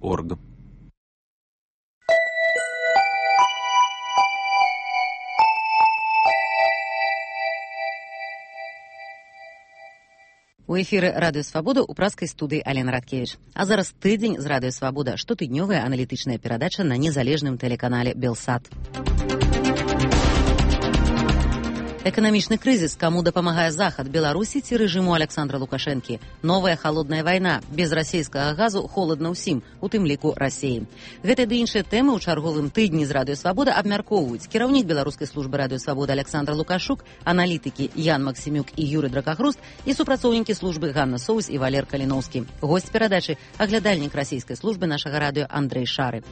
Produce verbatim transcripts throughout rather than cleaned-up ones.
орг. У эфіры Радыё Свабода ў праскай студыі Алена Радкевіч. А зараз тыдзень з Радыё Свабода, штотыднёвая аналітычная перадача на незалежным тэлеканале Белсат. Эканамічны крызіс, каму дапамагае захад, Беларусі ці рэжыму Александра Лукашэнкі. Новая халодная вайна, без расейскага газу холадна ўсім, у тым ліку Расеі. Гэтыя ды іншыя тэмы ў чарговым тыдні з Радыё Свабода абмяркоўваюць кіраўнік беларускай службы Радыё Свабода Александр Лукашук, аналітыкі Ян Максімюк і Юрый Дракахруст і супрацоўнікі службы Ганна Соус і Валер Каліноўскі. Госць перадачы – аглядальнік расійскай службы нашага радыё Андрэй Шары.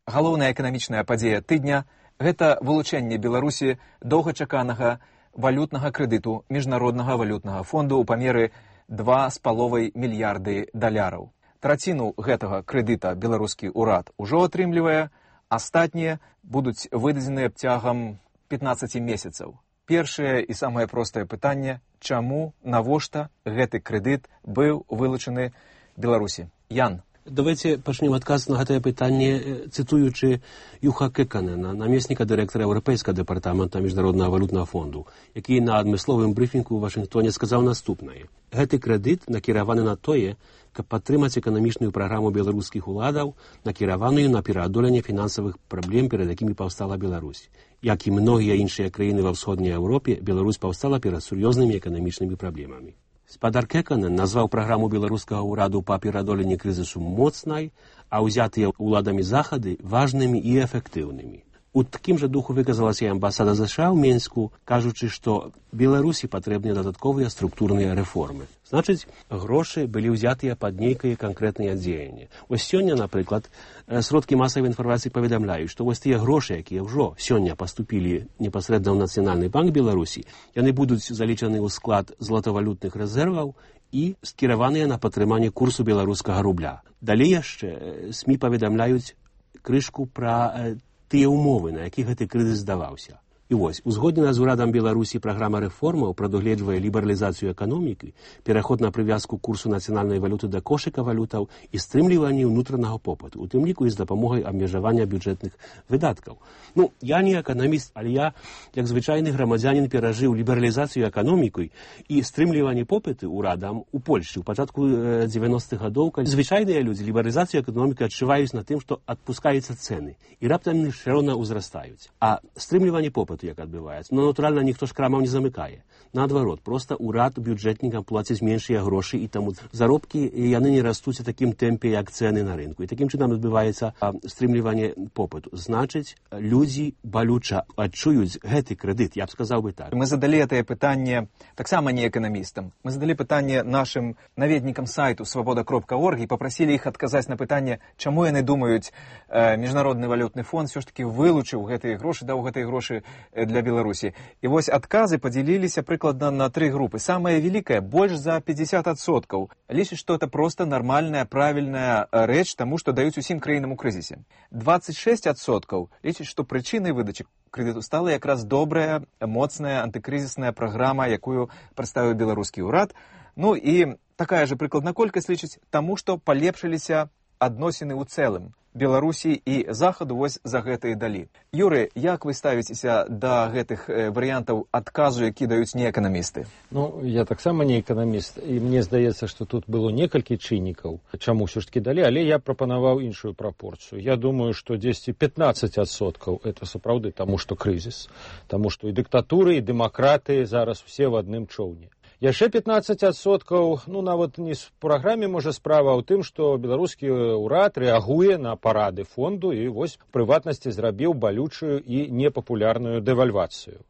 Галоўная эканамічная падзея тыдня – гэта вылучэнне Беларусі доўгачаканага валютнага крэдыту Міжнароднага валютнага фонду ў памеры два з паловай мільярды даляраў. Траціну гэтага крэдыта беларускі ўрад ужо атрымлівае, астатнія будуць выдадзеныя цягам пятнаццаці месяцаў. Першае і самае простае пытанне – чаму, навошта гэты крэдыт быў вылучаны Беларусі? Ян. Давайте пачнем адказ на гэтае пытанне, цытуючы Юха Кеканена, намесніка дырэктара Еўрапейскага дэпартамента Міжнароднага валютнага фонду, які на адмысловым брыфінгу ў Вашынгтоне сказаў наступнае. Гэты крэдыт накіраваны на тое, каб падтрымаць эканамічную праграму беларускіх уладаў, накіраваную на пераадоленне фінансавых праблем, перад якімі паўстала Беларусь. Як і многія іншыя краіны ва ўсходняй Еўропе, Беларусь паўстала перад сур'ёзнымі эканамічнымі праблемамі. Спадар Кеканен назваў праграму беларускага ўраду па пераадоленні крызісу моцнай, а ўзятыя ўладамі захады важнымі і эфектыўнымі. У такім жа духу выказалася і амбасада ЗША ў Менску, кажучы, што Беларусі патрэбныя дадатковыя структурныя рэформы. Значыць, грошы былі ўзятыя пад нейкае канкрэтнае дзеянне. Вось сёння, напрыклад, сродкі масавай інфармацыі паведамляюць, што вось тыя грошы, якія ўжо сёння паступілі непасрэдна ў Нацыянальны банк Беларусі, яны будуць залічаны ў склад златавалютных рэзерваў і скіраваныя на падтрыманне курсу беларускага рубля. Далей яшчэ СМІ паведамляюць крышку пра тыя ўмовы, на якіх гэты крызіс здаваўся. І вось, узгоднена з урадам Беларусі праграма рэформаў прадугледжвае лібералізацыю эканомікі, пераход на прывязку курсу нацыянальнай валюты да кошыка валютаў і стрымліванне ўнутранага попыту, у тым ліку і з дапамогай абмежавання бюджэтных выдаткаў. Ну, я не эканаміст, але я, як звычайны грамадзянін, перажыў лібералізацыю эканомікай і стрымліванне попыту ўрадам у Польшчы ў пачатку дзевяностых гадоў, калі звычайныя людзі лібералізацыю эканомікі адчуваюць на тым, што адпускаюцца цэны і раптам яны ўсё роўна ўзрастаюць. А стрымліванне попыту як адбываецца. Но, натуральна, ніхто ж крамаў не замыкае. Наадварот, проста ўрад бюджэтнікам плаціць меншыя грошы, і таму заробкі яны не растуць у такім тэмпе, як цэны на рынку. І такім чынам адбываецца стрымліванне попыту. Значыць, людзі балюча адчуюць гэты крэдыт, я б сказаў бы так. Мы задалі гэтае пытанне таксама не эканамістам. Мы задалі пытанне нашым наведнікам сайту свабода кропка орг і папрасілі іх адказаць на пытанне, чаму яны думаюць, э, Міжнародны валютны фонд все ж таки вылучыў гэтыя грошы, даў гэтыя грошы для Беларусі. І вось адказы падзяліліся прыкладна на тры групы. Самая великая, больш за пятьдесят адсоткаў, лічыць, што это просто нармальная, правільная рэч таму, што даюць усім краінам у крызісе. двадцать шесть адсоткаў лічыць, што прычынай выдачы крэдыту стала якраз добрая, моцная антыкрызісная праграма, якую прадставіў беларускі ўрад. Ну і такая же прыкладна колькасць лічыць таму, што палепшыліся адносіны ў цэлым Беларусі і Захаду вось за гэта і далі. Юры, як вы ставіцеся да гэтых варыянтаў адказу, які даюць неэканамісты? Ну, я таксама не эканаміст, і мне здаецца, што тут было некалькі чыннікаў, чаму ўсё ж такі далі, але я прапанаваў іншую прапорцыю. Я думаю, што дзесьці пятнаццаць адсоткаў это сапраўды таму, што крызіс, таму што і дыктатуры, і дэмакраты зараз усе в адным чоўне. Яшчэ пятнаццаць адсоткаў, ну, нават не з праграме, можа, справа ў тым, што беларускі ўрад рэагуе на парады фонду і вось прыватнасці зрабіў балючую і непапулярную дэвальвацыю.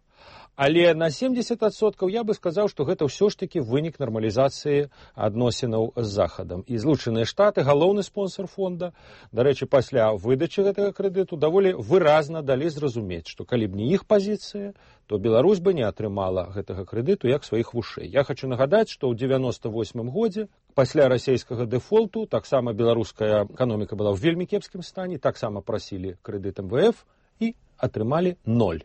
Але на семьдесят адсоткаў я бы сказаў, што гэта ўсё ж такі вынік нармалізацыі адносінаў з Захадам. І Злучаныя Штаты, галоўны спонсор фонда, дарэчы, пасля выдачы гэтага крэдыту даволі выразна далі зразумець, што калі б не іх пазіцыя, то Беларусь бы не атрымала гэтага крэдыту як сваіх вушэй. Я хочу нагадаць, што ў девяносто восьмым годзе пасля расійскага дэфолту таксама беларуская эканоміка была ў вельмі кепскім стане, таксама прасілі крэдыт эм вэ эф і атрымалі ноль.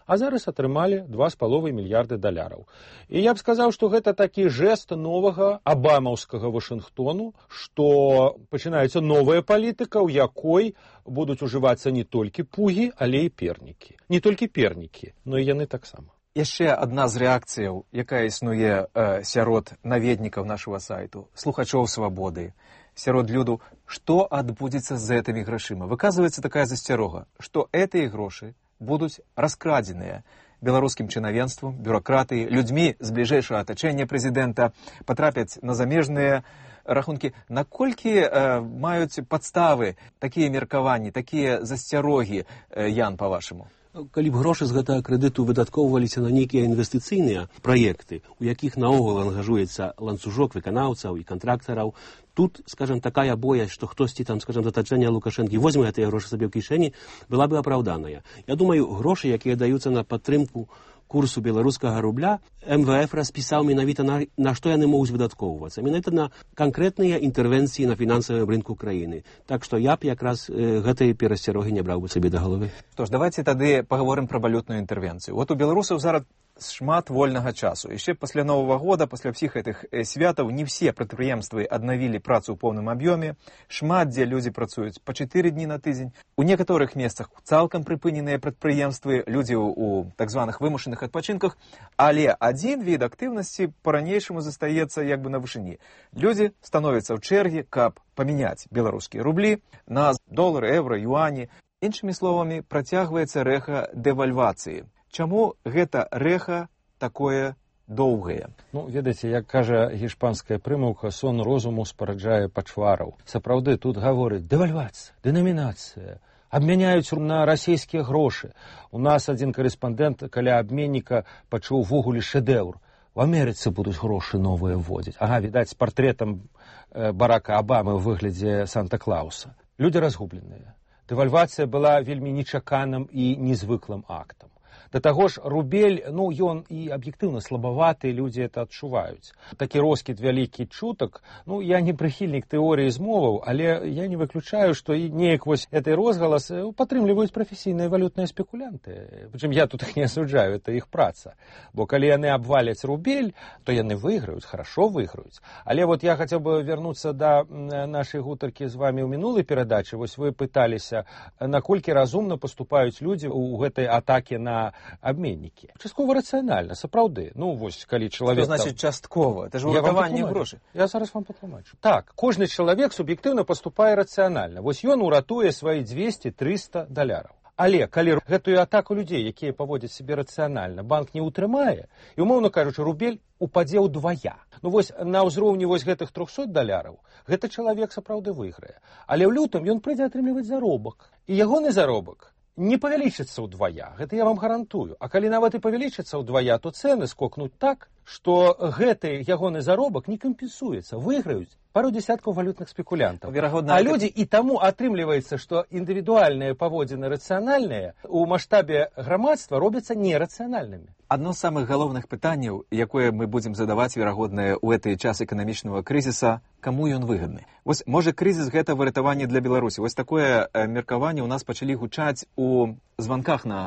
а зараз атрымалі два з паловай мільярды даляраў. І я б сказаў, што гэта такі жэст новага абамаўскага Вашынгтону, што пачынаецца новая палітыка, у якой будуць ужывацца не толькі пугі, але і пернікі. Не толькі пернікі, но і яны таксама. Яшчэ адна з рэакцыяў, якая існуе э, сярод наведнікаў нашага сайту, слухачоў свабоды, сярод люду, што адбудзецца з гэтымі грашыма. Выказваецца такая засцярога, што гэтыя грошы будуць раскрадзеныя беларускім чынавенствам, бюракратыі, людзьмі з бліжэйшага атачэння прэзідэнта, патрапяць на замежныя рахункі. Наколькі э, маюць падставы такія меркаванні, такія засцярогі, э, Ян, па-вашаму? Калі б грошы з гэтага крэдыту выдаткоўваліся на нейкія інвестыцыйныя праекты, у якіх наогул ангажуецца ланцужок выканаўцаў і кантрактараў, тут, скажем, такая боязь, што хтосьці там, скажем, з атачэння Лукашэнкі возьме гэтыя грошы сабе ў кішэні, была бы апраўданая. Я думаю, грошы, якія даюцца на падтрымку курсу беларускага рубля, эм вэ эф распісаў менавіта на, на што яны могуць выдаткоўвацца. Менавіта на канкрэтныя інтэрвенцыі на фінансавым рынку краіны. Так што я б якраз э, гэтай перасцярогі не браў бы сабе да галавы. Што ж, давайце тады паговорым пра валютную інтэрвенцыю. Вот у беларусаў зараз шмат вольнага часу. Яшчэ пасля Новага года, пасля ўсіх гэтых святаў, не все прадпрыемствы аднавілі працу ў поўным аб'ёме. Шмат дзе людзі працуюць па чатыры дні на тыдзень. У некаторых месцах цалкам прыпыненыя прадпрыемствы, людзі ў так званых вымушаных адпачынках, але адзін від актыўнасці па-ранейшаму застаецца як бы на вышыні. Людзі становяцца ў чэргі, каб памяняць беларускія рублі на долары, еўра, юані. Іншымі словамі, працягваецца рэха дэвальвацыі. Чаму гэта рэха такое доўгае? Ну, ведаеце, як кажа гішпанская прымаўка, сон розуму спараджае пачвараў. Сапраўды, тут гаворыць дэвальвацыя, дэнамінацыя, абмяняюць на расійскія грошы. У нас адзін карэспандэнт каля абменніка пачуў ввогуле шэдэўр. У Амерыцы будуць грошы новыя вводзіць. Ага, відаць, з партрэтам э, Барака Абамы ў выглядзе Санта-Клауса. Людзі разгубленыя. Дэвальвацыя была вельмі нечаканым і незвыклым актам. Да таго ж, рубель, ну, ён і аб'ектыўна слабаваты, людзі это адчуваюць. Такі роскід вялікі чутак, ну, я не прыхільнік тэорыі змоваў, але я не выключаю, што і неяк вось гэты розгалас падтрымліваюць прафесійныя валютныя спекулянты. Прычым я тут іх не асуджаю, это іх праца. Бо калі яны абваляць рубель, то яны выйграюць, хорошо выйграюць. Але вот я хацеў бы вярнуцца да нашай гутаркі з вамі ў мінулай перадачы. Вось вы пыталіся, наколькі разумна паступаюць людзі ў гэтай атаке на абменнікі. Часткова рацыянальна, сапраўды. Ну, вось, калі чалавек... Што значыць часткова? Это ж уратаванне грошай. Я зараз вам патлумачу. Так, кожны чалавек суб'ектыўна паступае рацыянальна. Вось ён уратуе свае дзвесце-трыста даляраў. Але калі гэтую атаку людзей, якія паводзяць сябе рацыянальна, банк не ўтрымае, і, умоўна кажучы, рубель упадзе ўдвая. Ну вось на ўзроўні вось гэтых трохсот даляраў гэты чалавек сапраўды выйграе. Але ў лютым ён прыйдзе атрымліваць заробак. І ягоны заробак не павялічыцца ўдвая, гэта я вам гарантую. А калі нават і павялічыцца ўдвая, то цэны скокнуць так, што гэты ягоны заробак не кампенсуецца, выйграюць пару десяткаў валютных спекулянтаў. Верагодна, а людзі і таму атрымліваецца, што індывідуальныя паводзіны рацыянальныя у маштабе грамадства робяцца нерацыянальнымі. Адно з самых галоўных пытанняў, якое мы будзем задаваць, верагодна, ў гэты час эканамічнага крызіса, каму ён выгадны? Вось, можа, крызіс гэта выратаванне для Беларусі. Вось такое э, меркаванне ў нас пачалі гучаць у званках на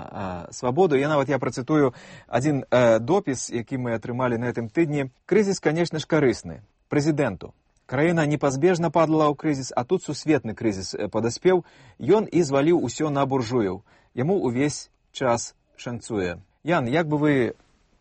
э, свабоду. Я нават я працытую адзін э, допіс, які мы атрымалі на гэтым тыдні. Крызіс, канешне ж, карысны прэзідэнту. Краіна непазбежна падала ў крызіс, а тут сусветны крызіс падаспеў. Ён і зваліў усё на буржуяў. Яму ўвесь час шанцуе. Ян, як бы вы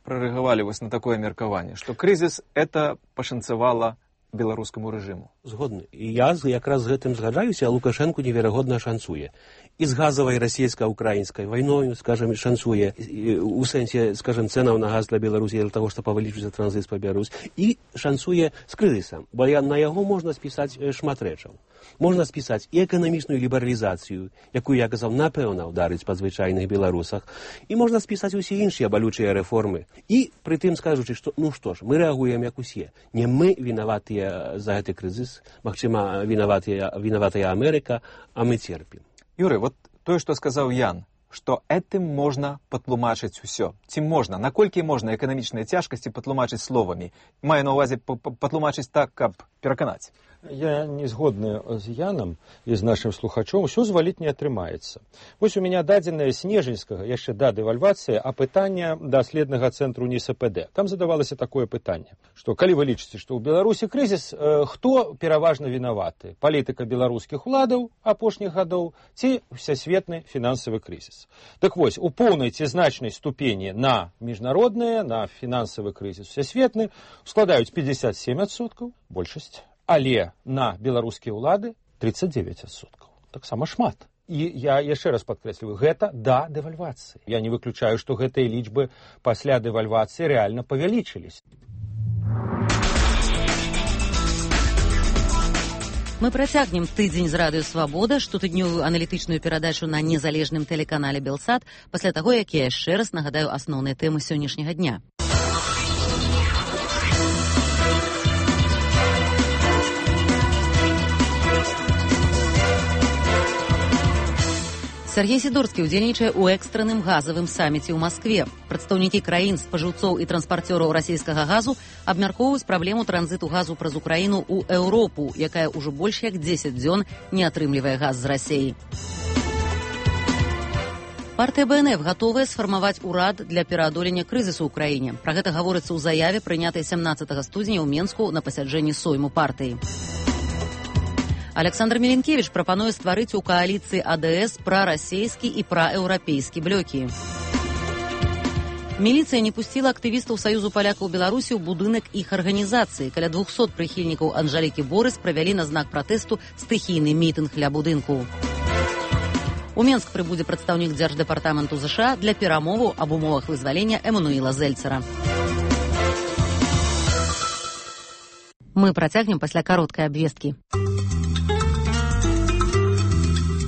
прарэагавалі вось на такое меркаванне, што крызіс это пашанцавала беларускаму рэжыму? Згодны. І я якраз з гэтым згаджаюся, а Лукашэнку неверагодна шанцуе. І з газавай расійска-украінскай вайною, скажем, шанцуе у сэнсе, скажем, цэнаў на газ для Беларусі для таго, што павялічыцца транзіт па Беларусь, і шанцуе з крызісам, бо на яго можна спісаць шмат рэчаў. Можна спісаць і эканамічную лібералізацыю, якую, я казаў, напэўна ўдарыць па звычайных беларусах, і можна спісаць усе іншыя балючыя рэформы. І пры тым скажучы, што, ну што ж, мы рэагуем як усе. Не мы вінаватыя за гэты крызіс, магчыма, вінаватая, вінаватая Амерыка, а мы церпім. Юрый, вот тое, што сказаў Ян, што этым можна патлумачыць усё. Ці можна? Наколькі можна эканамічныя цяжкасці патлумачыць словамі? Маю на ўвазе патлумачыць так, каб пераканаць. Я не згодны з Янам і з нашым слухачом, усё зваліць не атрымаецца. Вось у меня дадзенае снежаньскага, яшчэ да дэвальвацыі, апытання даследнага цэнтру НИСПД. Там задавалася такое пытанне, што калі вы лічыце, што ў Беларусі крызіс, э, хто пераважна вінаваты? Палітыка беларускіх уладаў апошніх гадоў ці всесветны фінансавы крызіс? Так вось, у поўнай ці значнай ступені на міжнародныя, на фінансавы крызіс всесветны складаюць пятьдесят семь адсоткаў, большасць. Але на беларускія ўлады тридцать девять адсоткаў. Таксама шмат. І я яшчэ раз падкрэсліваю, гэта да дэвальвацыі. Я не выключаю, што гэтыя лічбы пасля дэвальвацыі рэальна павялічылись. Мы працягнем тыдзень з радыё «Свабода», штотыднёвую аналітычную перадачу на незалежным тэлеканале «Белсат», пасля таго, як я яшчэ раз нагадаю асноўныя тэмы сённяшняга дня. Сергей Сидорскі ўдзельнічае ў экстранным газавым саміце ў Маскве. Прадстаўнікі краін, спажыўцоў і транспарцёраў расійскага газу абмяркоўваюць праблему транзіту газу праз Украіну ў Еўропу, якая ўжо больш як дзесяць дзён не атрымлівае газ з Расіі. Партыя Бэ Эн Эф гатовая сфармаваць урад для пераадолення крызісу ў краіне. Пра гэта гаворыцца ў заяве, прынятай сямнаццатага студзеня ў Менску на пасяджэнні сойму партыі. Александр Меленкевич прапануе стварыць у кааліцыі А Дэ Эс прарасейскі і праеўрапейскі блокі. Міліцыя не пусціла актывістаў Саюзу палякаў Беларусі ў будынак іх арганізацыі. Каля двухсот прыхільнікаў Анжалікі Борыс правялі на знак пратэсту стыхійны мітынг ля будынку. У Менск прыбудзе прадстаўнік Дзярждэпартаменту ЗША для перамоваў аб умовах вызвалення Эмануіла Зельцера. Мы працягнем пасля кароткай абвесткі.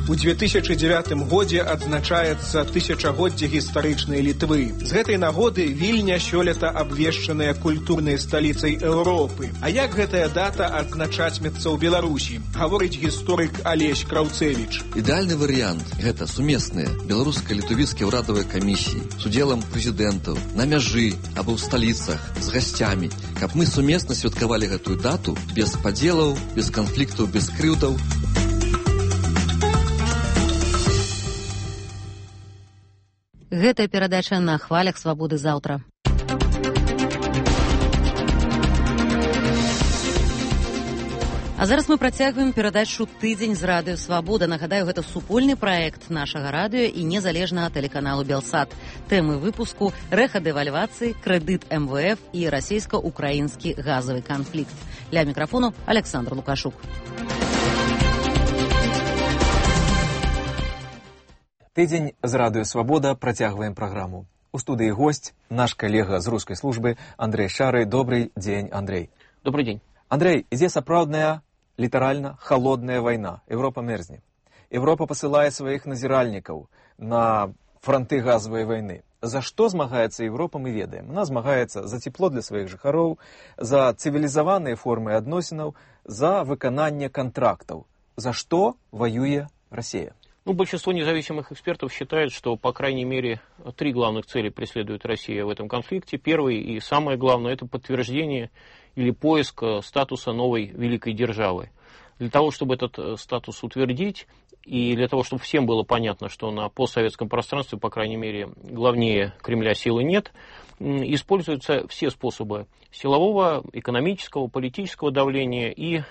У две тысячи девятым годзе адзначаецца тысячагоддзе гістарычнай Літвы. З гэтай нагоды Вільня сёлета абвешчаная культурнай сталіцай Еўропы. А як гэтая дата адзначатьмецца ў Беларусі? Гаворыць гісторык Алесь Краўцевіч. Ідэальны варыянт гэта сумесныя беларуска-літвійскія ўрадавыя камісіі з удзелам прэзідэнтаў на мяжы або ў сталіцах з гасцямі, каб мы сумесна святкавалі гэтую дату без падзелаў, без канфліктаў, без крыўдаў. Гэтая перадача на хвалях «Свабоды» заўтра. А зараз мы працягваем перадачу «Тыдзень з радыё «Свабода». Нагадаю, гэта супольны праект нашага радыё і незалежнага тэлеканалу «Белсат». Тэмы выпуску – рэха дэвальвацыі, крэдыт Эм Вэ Эф і расійска-украінскі газавы канфлікт. Ля мікрафону Александр Лукашук. Тыдзень з радыё «Свабода» працягваем праграму. У студыі госць, наш калега з рускай службы Андрэй Шары. Добрый дзень, Андрэй. Добрый день. Андрэй, ідзе сапраўдная, літаральна, халодная вайна. Еўропа мерзне. Еўропа пасылае сваіх назіральнікаў на франты газавай вайны. За што змагаецца Еўропа, мы ведаем. Она змагаецца за цепло для сваіх жыхароў, за цывілізаваныя формы адносінаў, за выкананне контрактаў. За што воюе Россия? Ну, большинство независимых экспертов считает, что, по крайней мере, три главных цели преследует Россия в этом конфликте. Первый и самое главное – это подтверждение или поиск статуса новой великой державы. Для того, чтобы этот статус утвердить, и для того, чтобы всем было понятно, что на постсоветском пространстве, по крайней мере, главнее Кремля силы нет, используются все способы силового, экономического, политического давления и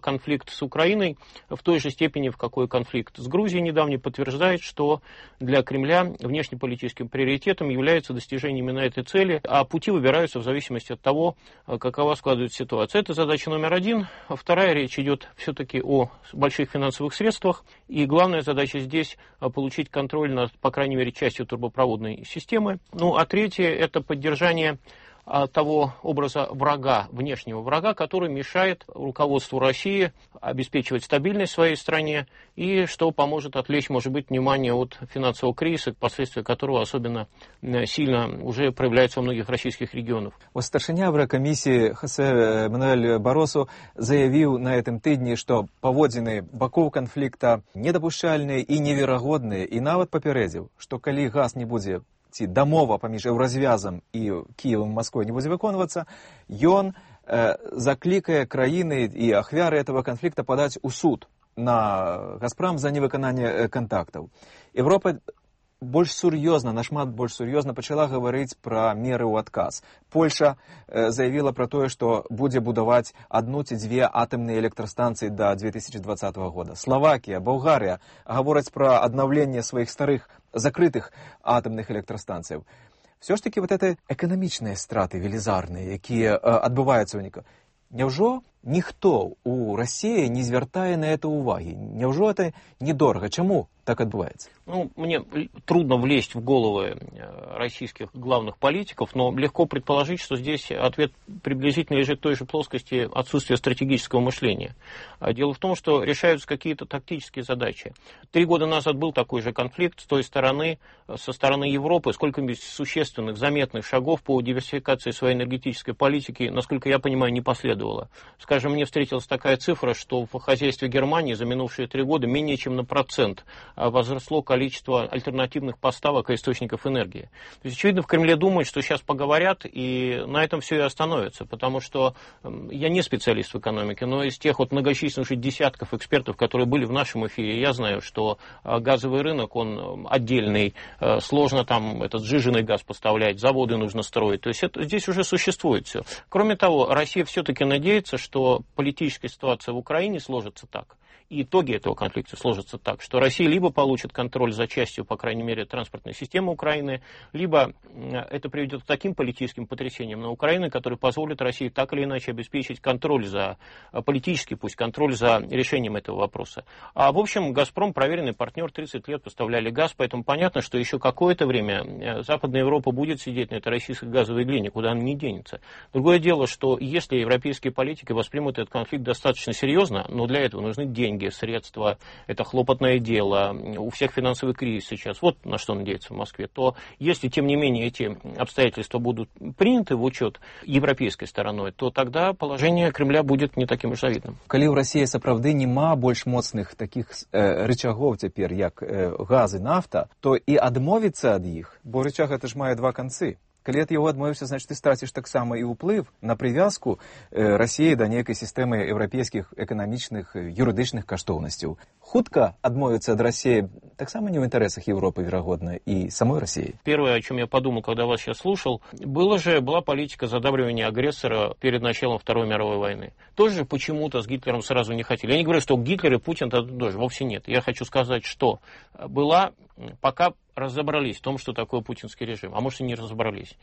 конфликт с Украиной в той же степени, в какой конфликт с Грузией недавний подтверждает, что для Кремля внешнеполитическим приоритетом является достижение именно этой цели, а пути выбираются в зависимости от того, какова складывается ситуация. Это задача номер один. Вторая, речь идет все-таки о больших финансовых средствах, и главная задача здесь получить контроль над, по крайней мере, частью турбопроводной системы. Ну, а третье, это поддержание того образа врага, внешнего врага, который мешает руководству России обеспечивать стабильность в своей стране и что поможет отвлечь, может быть, внимание от финансового кризиса, последствия которого особенно сильно уже проявляются во многих российских регионах. Старшыня Еврокомиссии Хосе Мануэль Баросу заявил на этом тыдні, что паводзіны бакоў конфликта недопушчальныя и неверагодныя, и нават папярэдзіў, что калі газ не будзе ці дамова паміж еўразвязам і Кіевам, Масквой не будзе выконвацца, ён э, закликая краины и ахвяры этого конфликта подать у суд на «Газпром» за невыканание контактов. Европа больш сур'ёзна, нашмат больш сур'ёзна пачала гаварыць пра меры ў адказ. Польша э, заявіла пра тое, што будзе будаваць адну ці дзве атамныя электрастанцыі да две тысячи двадцатого года. Словакія, Болгарыя гавораць пра аднаўленне сваіх старых закрытых атамных электрастанцыяў. Все ж таки вот это эканамічныя страты велізарныя, якія э, адбываюцца ў ніка. Няўжо ніхто у России не звяртае на это уваги? Няўжо это недорого? Чаму так адбываецца? Ну, мне трудно влезть в головы российских главных политиков, но легко предположить, что здесь ответ приблизительно лежит в той же плоскости отсутствия стратегического мышления. Дело в том, что решаются какие-то тактические задачи. Три года назад был такой же конфликт с той стороны, со стороны Европы. Сколько-нибудь существенных, заметных шагов по диверсификации своей энергетической политики, насколько я понимаю, не последовало. Скажем, мне встретилась такая цифра, что в хозяйстве Германии за минувшие три года менее чем на процент возросло количество альтернативных поставок и источников энергии. То есть, очевидно, в Кремле думают, что сейчас поговорят, и на этом все и остановится, потому что я не специалист в экономике, но из тех вот многочисленных десятков экспертов, которые были в нашем эфире, я знаю, что газовый рынок, он отдельный, сложно там этот сжиженный газ поставлять, заводы нужно строить, то есть это, здесь уже существует все. Кроме того, Россия все-таки надеется, что политическая ситуация в Украине сложится так, и итоги этого конфликта сложатся так, что Россия либо получит контроль за частью, по крайней мере, транспортной системы Украины, либо это приведет к таким политическим потрясениям на Украине, которые позволят России так или иначе обеспечить контроль за, политический пусть, контроль за решением этого вопроса. А в общем, «Газпром» проверенный партнер, тридцать лет поставляли газ, поэтому понятно, что еще какое-то время Западная Европа будет сидеть на этой российской газовой глине, куда она не денется. Другое дело, что если европейские политики воспримут этот конфликт достаточно серьезно, но для этого нужны деньги, средства, это хлопотное дело, у всех финансовый кризис сейчас, вот на что надеяться в Москве, то если, тем не менее, эти обстоятельства будут приняты в учет европейской стороной, то тогда положение Кремля будет не таким уж завидным. Калі ў Расіі сапраўды няма больш моцных таких э, рычагоў цяпер, як э, газ і нафта, то і адмовіцца ад іх, бо рычаг это ж мае два канцы. Калі ад яго адмовіўся, значит, ты страціш таксама і ўплыв на прывязку э, Расіі да нейкай сістэмы еўрапейскіх эканамічных, юрыдычных каштоўнасцяў. Хутка адмовіцца ад Расіі таксама не ў інтарэсах Европы, верагодна, и самой России. Первое, о чем я подумал, когда вас сейчас слушал, было же, была политика задабривания агрессора перед началом Второй мировой войны. Тоже почему-то с Гитлером сразу не хотели. Я не говорю, что Гитлер и Путин тоже, вовсе нет. Я хочу сказать, что была, пока разобрались в том, что такое путинский режим, а может и не разобрались.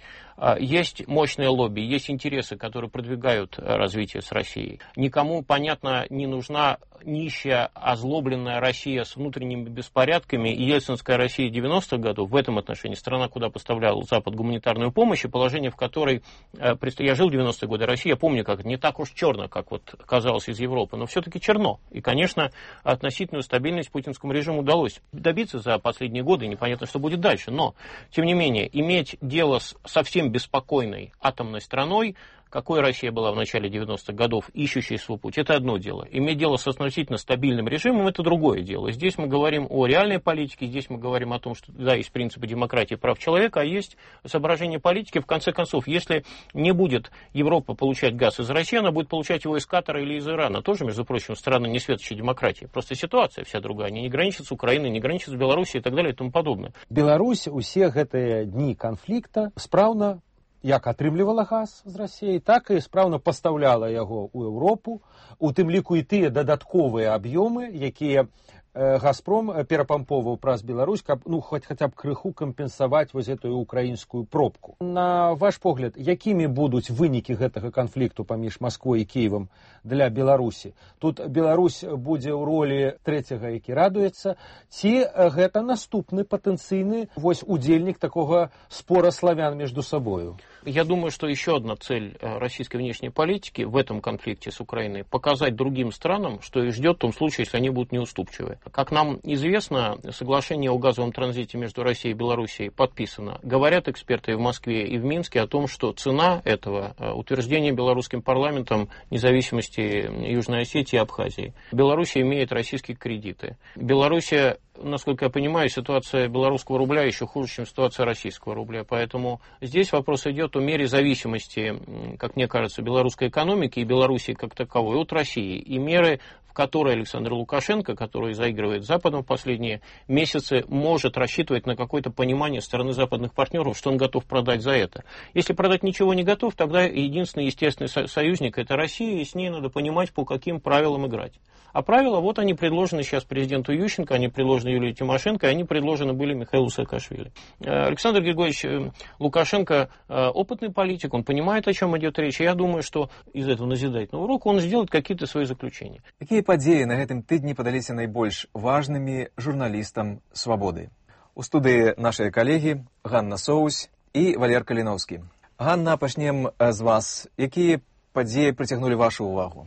Есть мощное лобби, есть интересы, которые продвигают развитие с Россией. Никому, понятно, не нужна нищая, озлобленная Россия с внутренними беспорядками, и ельцинская Россия девяностых годов в этом отношении, страна, куда поставлял Запад гуманитарную помощь, и положение, в которой, я жил в девяностые годы, Россия, я помню, как не так уж черно, как вот казалось из Европы, но все-таки черно. И, конечно, относительную стабильность путинскому режиму удалось добиться за последние годы, и непонятно, что будет дальше. Но, тем не менее, иметь дело с совсем беспокойной атомной страной, какой Россия была в начале девяностых годов, ищущей свой путь, это одно дело. Иметь дело с относительно стабильным режимом, это другое дело. Здесь мы говорим о реальной политике, здесь мы говорим о том, что да, есть принципы демократии и прав человека, а есть соображение политики. В конце концов, если не будет Европа получать газ из России, она будет получать его из Катара или из Ирана. Тоже, между прочим, страны не светочей демократии. Просто ситуация вся другая. Они не граничат с Украиной, не граничат с Белоруссией и так далее и тому подобное. Беларусь усе гэтыя дні канфлікта спраўна як атрымлівала газ з Расіі, так і спраўна пастаўляла яго ў Еўропу, у тым ліку і тыя дадатковыя аб'ёмы, якія «Газпром» перапамповаў праз Беларусь, каб ну, хоць хаця б крыху кампенсаваць вось гэтую украінскую пробку. На ваш погляд, якімі будуць вынікі гэтага канфлікту паміж Масквой і Кіевам для Беларусі? Тут Беларусь будзе ў ролі трэцяга, які радуецца, ці гэта наступны патэнцыйны вось удзельнік такога спора славян между собою? Я думаю, что еще одна цель российской внешней политики в этом конфликте с Украиной – показать другим странам, что их ждет в том случае, если они будут неуступчивы. Как нам известно, соглашение о газовом транзите между Россией и Белоруссией подписано. Говорят эксперты и в Москве, и в Минске о том, что цена этого утверждения белорусским парламентом независимости Южной Осетии и Абхазии. Белоруссия имеет российские кредиты. Белоруссия насколько я понимаю, ситуация белорусского рубля еще хуже, чем ситуация российского рубля. Поэтому здесь вопрос идет о мере зависимости, как мне кажется, белорусской экономики и Белоруссии как таковой от России. И меры, в которые Александр Лукашенко, который заигрывает с Западом в последние месяцы, может рассчитывать на какое-то понимание стороны западных партнеров, что он готов продать за это. Если продать ничего не готов, тогда единственный естественный союзник – это Россия, и с ней надо понимать, по каким правилам играть. А правила, вот они предложены сейчас президенту Ющенко, они предложены Юлии Тимошенко, и они предложены были Михаилу Саакашвили. Александр Григорьевич Лукашенко опытный политик, он понимает, о чем идет речь, и я думаю, что из этого назидательного урока он сделает какие-то свои заключения. Какие подеи на этом тыдні падаліся найбольш важными журналистам «Свободы»? У студии наши коллеги Ганна Соусь и Валер Калиновский. Ганна, пачнем з вас. Какие подеи притягнули вашу увагу?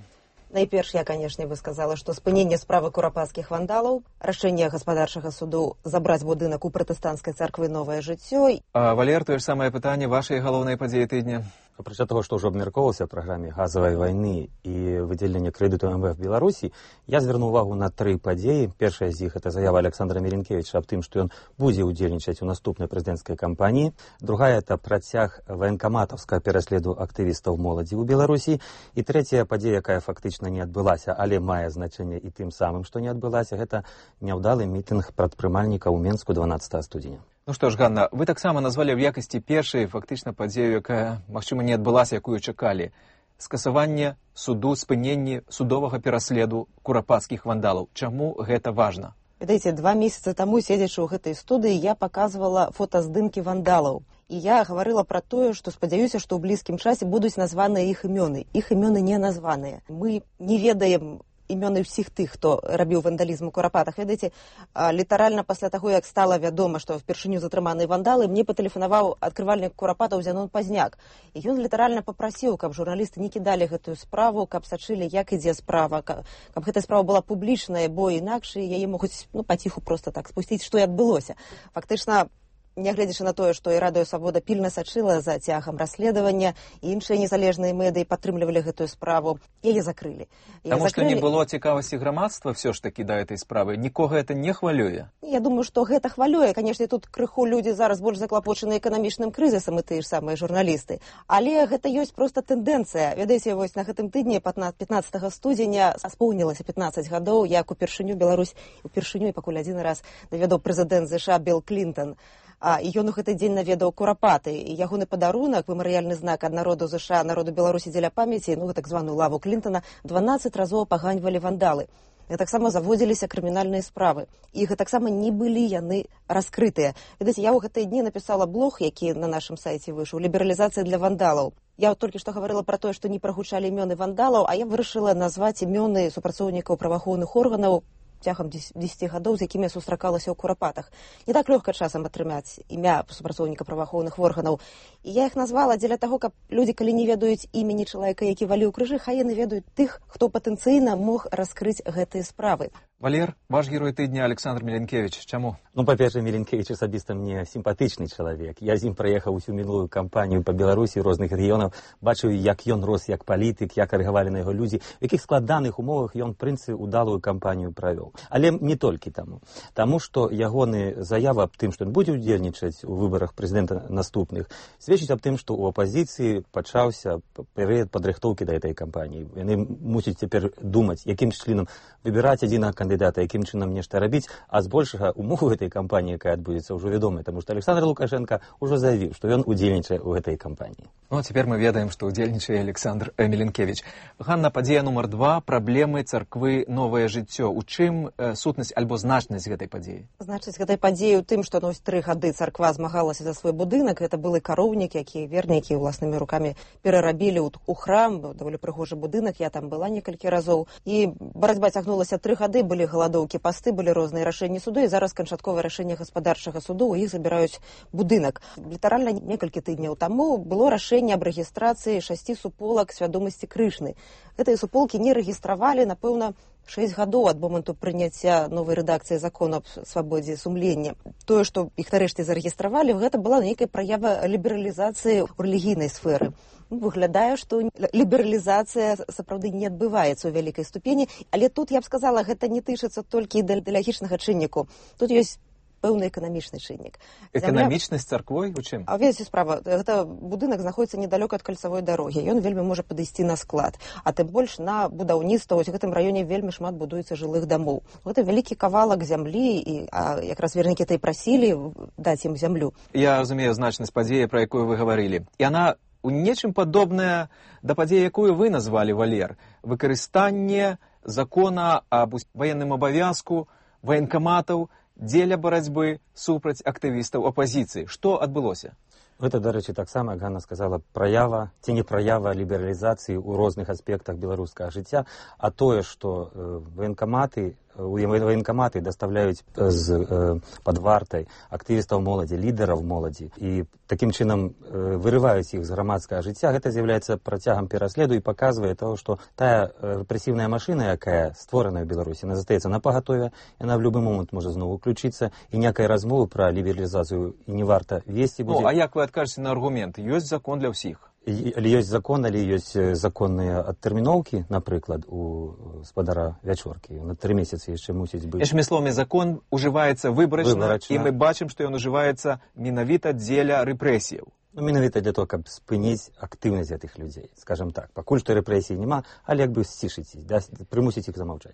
Найперш я, канешне, бы сказала, што спыненне справы курапацкіх вандалаў, рашэнне гаспадарчага суду забраць будынак у пратэстанцкай царквы «Новае жыццё». А, Валер, тое ж самае пытанне, вашай галоўнай падзеі тыдня? Апрача того, што ўжо абмяркоўвалася ў праграме газавай вайны і выдзелення крэдыту эм вэ эф Беларусі, я звярнуў увагу на тры падзеі. Першая з іх — это заява Александра Меленкевіча аб тым, што ён будзе ўдзельнічаць у наступнай прэзідэнцкай кампаніі. Другая — это працяг ваенкаматаўскага пераследу актывістаў моладзі ў Беларусі. І трэцяя падзея, якая фактычна не адбылася, але мае значэнне і тым самым, што не адбылася, гэта няўдалы мітынг прадпрымальнікаў у Менску дванаццатага студзеня. Ну што ж, Ганна, вы таксама назвалі ў якасці першай фактычна падзею, якая, магчыма, не адбылася, якую чакалі. Скасаванне суду, спыненне судовага пераследу курапацкіх вандалаў. Чаму гэта важна? Ведаеце, два месяца таму, седзячы ў гэтай студыі, я паказвала фотаздымкі вандалаў. І я гаварыла пра тое, што спадзяюся, што ў блізкім часе будуць названыя іх імёны. Іх імёны не названыя. Мы не ведаем імёны ўсіх тых, хто рабіў вандалізм у Курапатах. Ведаеце, літаральна пасля таго, як стала вядома, што впершыню затрыманыя вандалы, мне патэлефанаваў адкрывальнік Курапатаў Зянон Пазняк. І ён літаральна папрасіў, каб журналісты не кідалі гэтую справу, каб сачылі, як ідзе справа, каб, каб гэтая справа была публічная, бо інакш яе могуць, ну, паціху проста так спусціць, што і адбылося. Фактычна, нягледзячы на тое, што і Радыё Свабода пільна сачыла за цягам расследавання, і іншыя незалежныя медыі падтрымлівалі гэтую справу, яе закрылі. Таму што не было цікавасці грамадства все ж такі да этой справы. Нікога гэта не хвалюе? Я думаю, што гэта хвалюе. Канешне, тут крыху людзі зараз больш заклапочаны эканамічным крызісам, і тыя ж самыя журналісты. Але гэта ёсць проста тэндэнцыя. Ведаеце, вось на гэтым тыдні пятнаццатага студзеня споўнілася пятнаццаць гадоў, як упершыню Беларусь, упершыню і пакуль адзін раз наведаў прэзідэнт ЗША Білл Клінтон. А, і ён у гэты дзень наведаў Курапаты. І ягоны падарунак, мемарыяльны знак ад народу ЗША, народу Беларусі дзеля памяці, ну, так званую лаву Клінтона, дванаццаць разоў апаганьвалі вандалы. І таксама заводзіліся крымінальныя справы. І таксама не былі яны раскрытыя. Ведаеце, я ў гэтыя дні напісала блог, які на нашым сайце выйшаў, «Лібералізацыя для вандалаў». Я толькі што гаварыла пра тое, што не прагучалі імёны вандалаў, а я вырашыла назваць імёны супрацоўнікаў праваахоўных органаў цягам дзесяці гадоў, з якімі я сустракалася ў Курапатах. Не так лёгка часам атрымаць імя супрацоўніка праваахоўных органаў. І я іх назвала дзеля таго, каб людзі, калі не ведаюць імені чалавека, які валіў крыжы, хай яны ведаюць тых, хто патэнцыйна мог раскрыць гэтыя справы. Валер, ваш герой тыдня Александр Меленкевич. Чаму? Ну, па-першае, Меленкевич асабіста мне сімпатычны чалавек. Я з ім праехаў усю мінулую кампанію па Беларусі, розных рэгіёнаў, бачыў, як ён рос як палітык, як рэагавалі на яго людзі, у якіх складаных умовах ён, прынцы, удалую кампанію правёў. Але не толькі таму. Таму, што ягоны заява аб тым, што ён будзе ўдзельнічаць у выбарах прэзідэнта наступных, сведчыць аб тым, што ў апазіцыі пачаўся перыяд падрыхтоўкі да гэтай кампаніі. Яны мусяць цяпер думаць, якім чынам выбіраць адзінага кандыдата, якім чынам нешта рабіць, а збольшага умовы гэтай кампаніі, якая адбудзецца, ўжо вядомая, таму што Александр Лукашенко ўжо заявіў, што ён удзельнічае ў гэтай кампаніі. Ну, а цяпер мы ведаем, што удзельнічае Александр Меленкевич. Ганна, падзея нумар два, праблемы царквы «Новае жыццё». У чым э, сутнасць альбо значнасць гэтай падзеі? Значнасць гэтай падзеі ў тым, што ну, тры гады царква змагалася за свой будынак. Гэта былы кароўнік, які вернікі ўласнымі рукамі перарабілі ў, у храм, даволі прыгожы будынак, я там была некалькі разоў. І барацьба цягнулася тры гады, былі галадоўкі, пасты, былі розныя рашэнні суду, і зараз канчатковае рашэнне гаспадарчага суду, у іх забіраюць будынак. Літаральна некалькі тыдняў таму было рашэнне аб рэгістрацыі шасці суполак свядомасці Крышны. гэтыя суполкі не рэгістравалі, напэўна, шэсць гадоў ад моманту прыняцця новай рэдакцыі закону аб свабодзе сумлення. Тое, што іх нарэшце зарэгістравалі, гэта была нейкая праява лібералізацыі ў рэлігійнай сферы. Выглядае, што лібералізацыя сапраўды не адбываецца ў вялікай ступені, але тут, я б сказала, гэта не тычыцца толькі ідэалагічнага чынніку. Тут ёсць пэўны эканамічны чыннік. Эканамічнасць царквой? У чым? А ведаеце, справа, гэта будынак знаходзіцца недалёка ад кальцавой дарогі. Ён вельмі можа падысці на склад. А тым больш на будаўніцтва, вось у гэтым раёне вельмі шмат будуецца жылых дамоў. Гэта вялікі кавалак зямлі, і а, якраз вернікі тый прасілі даць ім зямлю. Я разумею значнасць падзеі, пра якую вы гаварылі. І яна у нечым падобная да падзеі, якую вы назвалі, Валер. Выкарыстанне закона аб ваенным абавязку ваенкаматаў дзеля барацьбы супраць актывістаў апазіцыі. Што адбылося? Гэта, дарэчы, таксама, як Ганна сказала, праява ці не праява лібералізацыі ў розных аспектах беларускага жыцця, а тое, што э, ваенкаматы военкоматы доставляюць з э, пад вартай актывістаў моладзі, лідараў моладзі, і такім чынам э, вырываюць іх з грамадскага жыцця. Гэта з'яўляецца працягам пераследу і паказвае того, што тая рэпрэсіўная машына, якая створаная ў Беларусі, она застаецца на пагатове, яна в любы момант можа зноў уключыцца, і някай размовы пра лібералізацыю і не варта весці будзе. Ну, а як вы адкажаце на аргумент? Ёсць закон для ўсіх. Але ёсць закон, але ёсць законныя адтэрміноўкі, напрыклад, у спадара Вячоркі. На тры месяцы яшчэ мусіць быць. Іншымі словамі, закон ужываецца выбарачна, выбарачна, і мы бачым, што ён ужываецца менавіта дзеля рэпрэсіяў. Ну, менавіта для того, каб спыніць актыўнасць гэтых людзей. Скажам так, пакуль што рэпрэсій няма, але як бы сцішыць іх, да, прымусіць іх замаўчаць.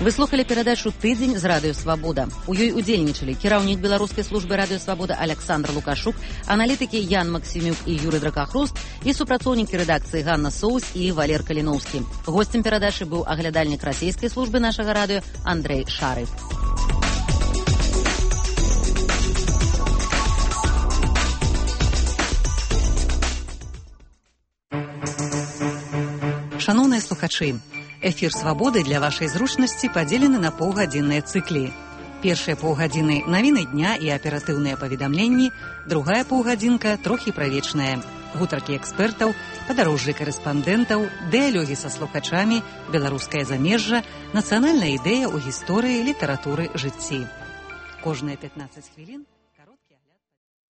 Вы слухали перадачу «Тыдзень» з радыё «Свабода». У ёй удзельнічалі кіраўнік беларускай службы радыё «Свабода» Александр Лукашук, аналітыкі Ян Максімюк і Юрый Дракахруст і супрацоўнікі рэдакцыі Ганна Соус і Валер Каліноўскі. Госцем перадачы быў аглядальнік расійскай службы нашага радыё Андрэй Шарыф. Шаноўныя слухачы, эфір «Свабоды» для вашай зручнасці падзелены на паўгадзінныя цыклі. Першыя паўгадзіны навіны дня і аператыўныя паведамленні, другая паўгадзінка трохі правечная. Гутаркі экспертаў, падарожжы карэспандэнтаў, дыялогі са слухачамі, беларускае замежжа, нацыянальная ідэя ў гісторыі, літаратуры, жыцці. Кожныя пятнаццаць хвілін